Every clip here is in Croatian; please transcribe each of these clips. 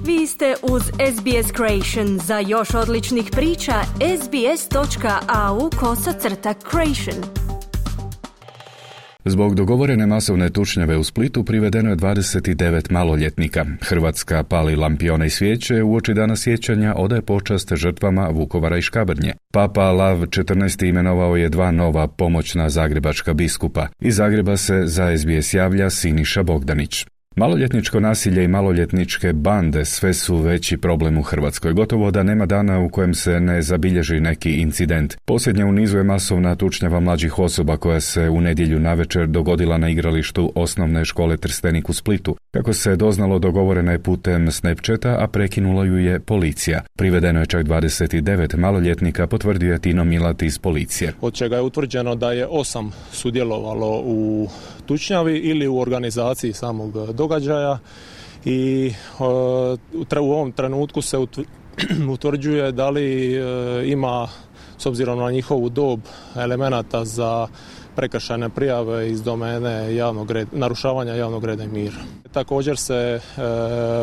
Vi ste uz SBS Creation. Za još odličnih priča, sbs.au/creation. Zbog dogovorene masovne tučnjave u Splitu privedeno je 29 maloljetnika. Hrvatska pali lampione i svijeće uoči dana sjećanja odaje počast žrtvama Vukovara i Škabrnje. Papa Lav XIV. Imenovao je 2 nova pomoćna zagrebačka biskupa. Iz Zagreba se za SBS javlja Siniša Bogdanić. Maloljetničko nasilje i maloljetničke bande sve su veći problem u Hrvatskoj. Gotovo da nema dana u kojem se ne zabilježi neki incident. Posljednja u nizu je masovna tučnjava mlađih osoba koja se u nedjelju navečer dogodila na igralištu osnovne škole Trstenik u Splitu. Kako se doznalo, dogovorena je putem Snapchata, a prekinula ju je policija. Privedeno je čak 29 maloljetnika, potvrdio je Tino Milat iz policije. Od čega je utvrđeno da je 8 sudjelovalo u tučnjavi ili u organizaciji samog događaja i u ovom trenutku se utvrđuje da li ima, s obzirom na njihovu dob, elemenata za prekršajne prijave iz domene narušavanja javnog reda i mira. Također se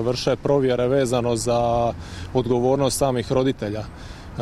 vrše provjere vezano za odgovornost samih roditelja,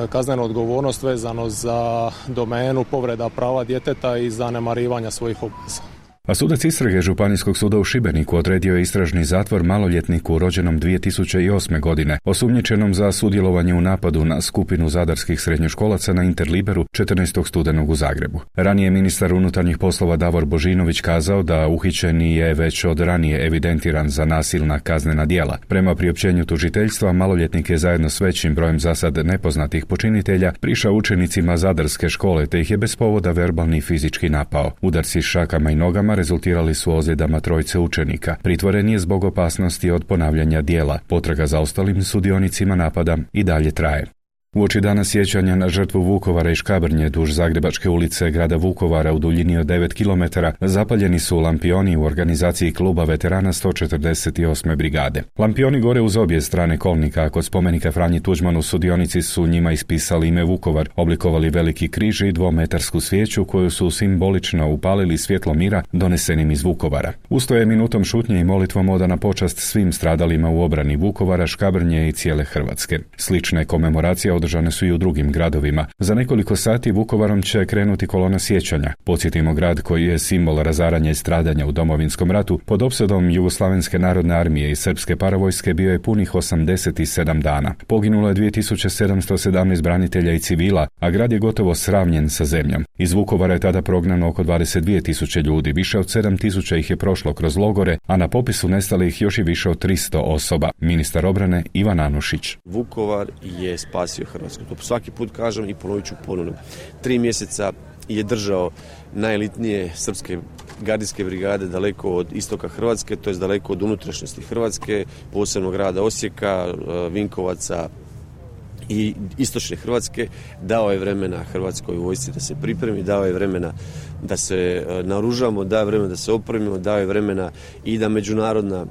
kaznenu odgovornost vezano za domenu povreda prava djeteta i zanemarivanja svojih obveza. A sudac istrage Županijskog suda u Šibeniku odredio je istražni zatvor maloljetniku rođenom 2008. godine, osumnjičenom za sudjelovanje u napadu na skupinu zadarskih srednjoškolaca na Interliberu 14. studenog u Zagrebu. Ranije ministar unutarnjih poslova Davor Božinović kazao da uhićeni je već od ranije evidentiran za nasilna kaznena djela. Prema priopćenju tužiteljstva, maloljetnik je zajedno s većim brojem zasad nepoznatih počinitelja prišao učenicima zadarske škole te ih je bez povoda verbalni i fizički napao. Udarci šakama i nogama rezultirali su ozljedama 3 učenika. Pritvoren je zbog opasnosti od ponavljanja djela. Potraga za ostalim sudionicima napada i dalje traje. Uoči dana sjećanja na žrtvu Vukovara i Škabrnje duž Zagrebačke ulice grada Vukovara u duljini od 9 km zapaljeni su lampioni u organizaciji kluba veterana 148. brigade. Lampioni gore uz obje strane kolnika, a kod spomenika Franji Tuđmanu sudionici su njima ispisali ime Vukovar, oblikovali veliki križ i 2-metarsku svijeću koju su simbolično upalili svjetlo mira donesenim iz Vukovara. Usto je minutom šutnje i molitvom odana počast svim stradalima u obrani Vukovara, Škabrnje i cijele Hrvatske. Slične komemoracije održane su i u drugim gradovima. Za nekoliko sati Vukovarom će krenuti kolona sjećanja. Podsjetimo, grad koji je simbol razaranja i stradanja u Domovinskom ratu pod opsadom Jugoslavenske narodne armije i srpske paravojske bio je punih 87 dana. Poginulo je 2717 branitelja i civila, a grad je gotovo sravnjen sa zemljom. Iz Vukovara je tada prognano oko 22.000 ljudi, više od 7.000 ih je prošlo kroz logore, a na popisu nestalih još i više od 300 osoba. Ministar obrane Ivan Anušić. Vukovar je spasio Hrvatsku. To svaki put kažem i ponovit ću ponovno. 3 mjeseca je držao najelitnije srpske gardijske brigade daleko od istoka Hrvatske, to je daleko od unutrašnjosti Hrvatske, posebno grada Osijeka, Vinkovaca i istočne Hrvatske. Dao je vremena Hrvatskoj vojsci da se pripremi, dao je vremena da se naoružamo, dao je vremena da se opremimo, dao je vremena i da međunarodna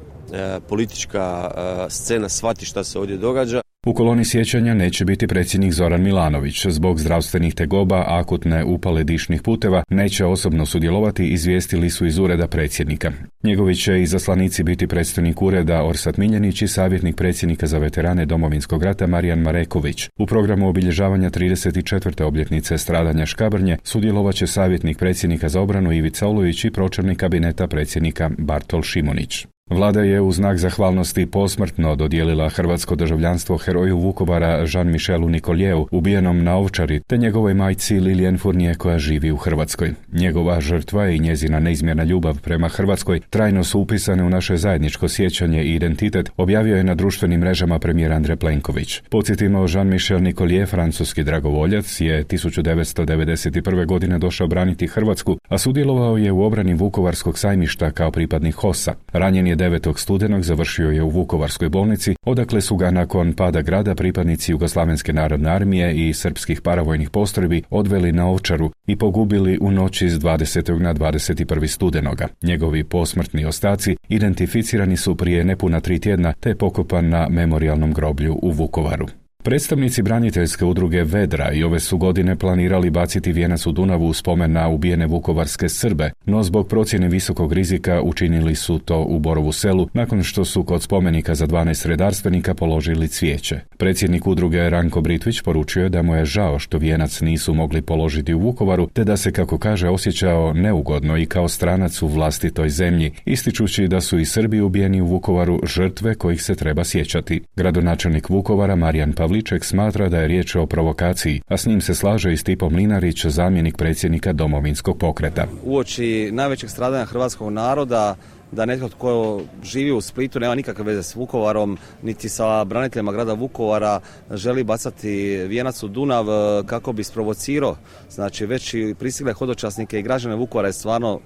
politička scena shvati šta se ovdje događa. U koloni sjećanja neće biti predsjednik Zoran Milanović. Zbog zdravstvenih tegoba, akutne upale dišnih puteva, neće osobno sudjelovati, izvijestili su iz ureda predsjednika. Njegovi će izaslanici biti predstojnik ureda Orsat Miljenić i savjetnik predsjednika za veterane Domovinskog rata Marijan Mareković. U programu obilježavanja 34. obljetnice stradanja Škabrnje sudjelovat će savjetnik predsjednika za obranu Ivica Olujić i pročelnik kabineta predsjednika Bartol Šimunić. Vlada je u znak zahvalnosti posmrtno dodijelila hrvatsko državljanstvo heroju Vukovara Jean-Michelu Nicolievu, ubijenom na Ovčari, te njegovoj majci Lilian Fournier koja živi u Hrvatskoj. Njegova žrtva i njezina neizmjerna ljubav prema Hrvatskoj trajno su upisane u naše zajedničko sjećanje i identitet, objavio je na društvenim mrežama premijer Andrej Plenković. Podsjetimo, Jean-Michel Nicolier, francuski dragovoljac, je 1991. godine došao braniti Hrvatsku, a sudjelovao je u obrani Vukovarskog sajmišta kao pripadnik HOS-a. Ranjen je 9. studenog, završio je u Vukovarskoj bolnici, odakle su ga nakon pada grada pripadnici Jugoslavenske narodne armije i srpskih paravojnih postrojbi odveli na Ovčaru i pogubili u noći s 20. na 21. studenoga. Njegovi posmrtni ostaci identificirani su prije nepuna 3 tjedna te je pokopan na memorijalnom groblju u Vukovaru. Predstavnici braniteljske udruge Vedra i ove su godine planirali baciti vijenac u Dunavu u spomen na ubijene vukovarske Srbe, no zbog procjene visokog rizika učinili su to u Borovu Selu nakon što su kod spomenika za 12 redarstvenika položili cvijeće. Predsjednik udruge Ranko Britvić poručio je da mu je žao što vijenac nisu mogli položiti u Vukovaru, te da se, kako kaže, osjećao neugodno i kao stranac u vlastitoj zemlji, ističući da su i Srbi ubijeni u Vukovaru žrtve kojih se treba sjećati. Gradonačelnik Vukovara Marijan Pavliček smatra da je riječ o provokaciji, a s njim se slaže i Stipo Mlinarić, zamjenik predsjednika Domovinskog pokreta. Uoči najvećeg stradanja hrvatskog naroda, da netko tko živi u Splitu nema nikakve veze s Vukovarom, niti sa braniteljima grada Vukovara, želi bacati vijenac u Dunav kako bi sprovocirao, znači već i pristigle hodočasnike i građane Vukovara je stvarno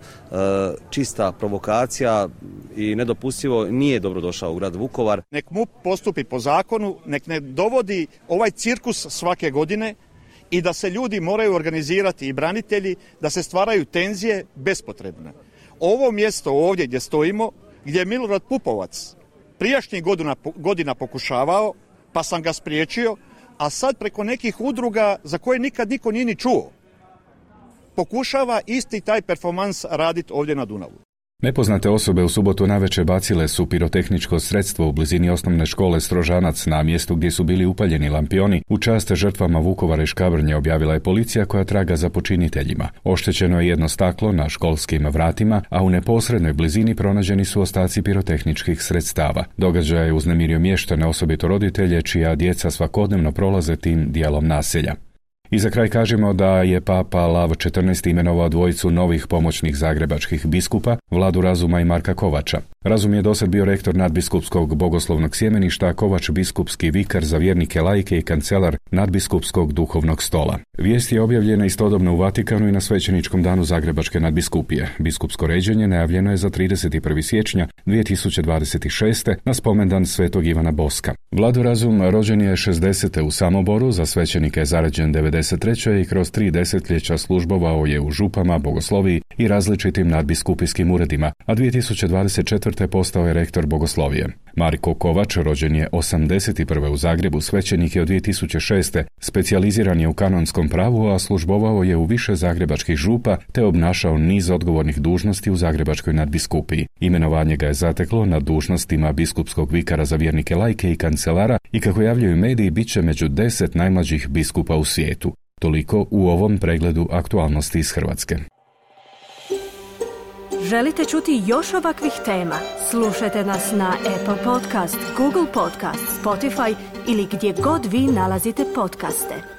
čista provokacija i nedopustivo, nije dobro došao u grad Vukovar. Nek MUP postupi po zakonu, nek ne dovodi ovaj cirkus svake godine i da se ljudi moraju organizirati i branitelji, da se stvaraju tenzije bespotrebne. Ovo mjesto ovdje gdje stojimo, gdje je Milorad Pupovac prijašnjih godina pokušavao, pa sam ga spriječio, a sad preko nekih udruga za koje nikad niko nije ni čuo, pokušava isti taj performans raditi ovdje na Dunavu. Nepoznate osobe u subotu navečer bacile su pirotehničko sredstvo u blizini osnovne škole Strožanac na mjestu gdje su bili upaljeni lampioni. U čast žrtvama Vukovara i Škabrnje, objavila je policija koja traga za počiniteljima. Oštećeno je jedno staklo na školskim vratima, a u neposrednoj blizini pronađeni su ostaci pirotehničkih sredstava. Događaj je uznemirio mještane, osobito roditelje čija djeca svakodnevno prolaze tim dijelom naselja. I za kraj kažemo da je Papa Lav XIV imenovao dvojicu novih pomoćnih zagrebačkih biskupa, Vladu Razuma i Marka Kovača. Razum je dosad bio rektor nadbiskupskog bogoslovnog sjemeništa, a Kovač biskupski vikar za vjernike laike i kancelar nadbiskupskog duhovnog stola. Vijest je objavljena istodobno u Vatikanu i na svećeničkom danu Zagrebačke nadbiskupije. Biskupsko ređenje najavljeno je za 31. siječnja 2026. na spomendan Svetog Ivana Boska. Vlado Razum rođen je 60. u Samoboru, za svećenike je zaređen 93. i kroz 3 desetljeća službovao je u župama, bogosloviji i različitim nadbiskupijskim uredima, a 2024. postao je rektor bogoslovije. Marko Kovač rođen je 81. u Zagrebu, svećenik je od 2006. Specijaliziran je u kanonskom pravu, a službovao je u više zagrebačkih župa te obnašao niz odgovornih dužnosti u Zagrebačkoj nadbiskupiji. Imenovanje ga je zateklo na dužnostima biskupskog vikara za vjernike laike i kancelara i, kako javljaju mediji, bit će među 10 najmlađih biskupa u svijetu. Toliko u ovom pregledu aktualnosti iz Hrvatske. Želite čuti još ovakvih tema? Slušajte nas na Apple Podcast, Google Podcast, Spotify ili gdje god vi nalazite podcaste.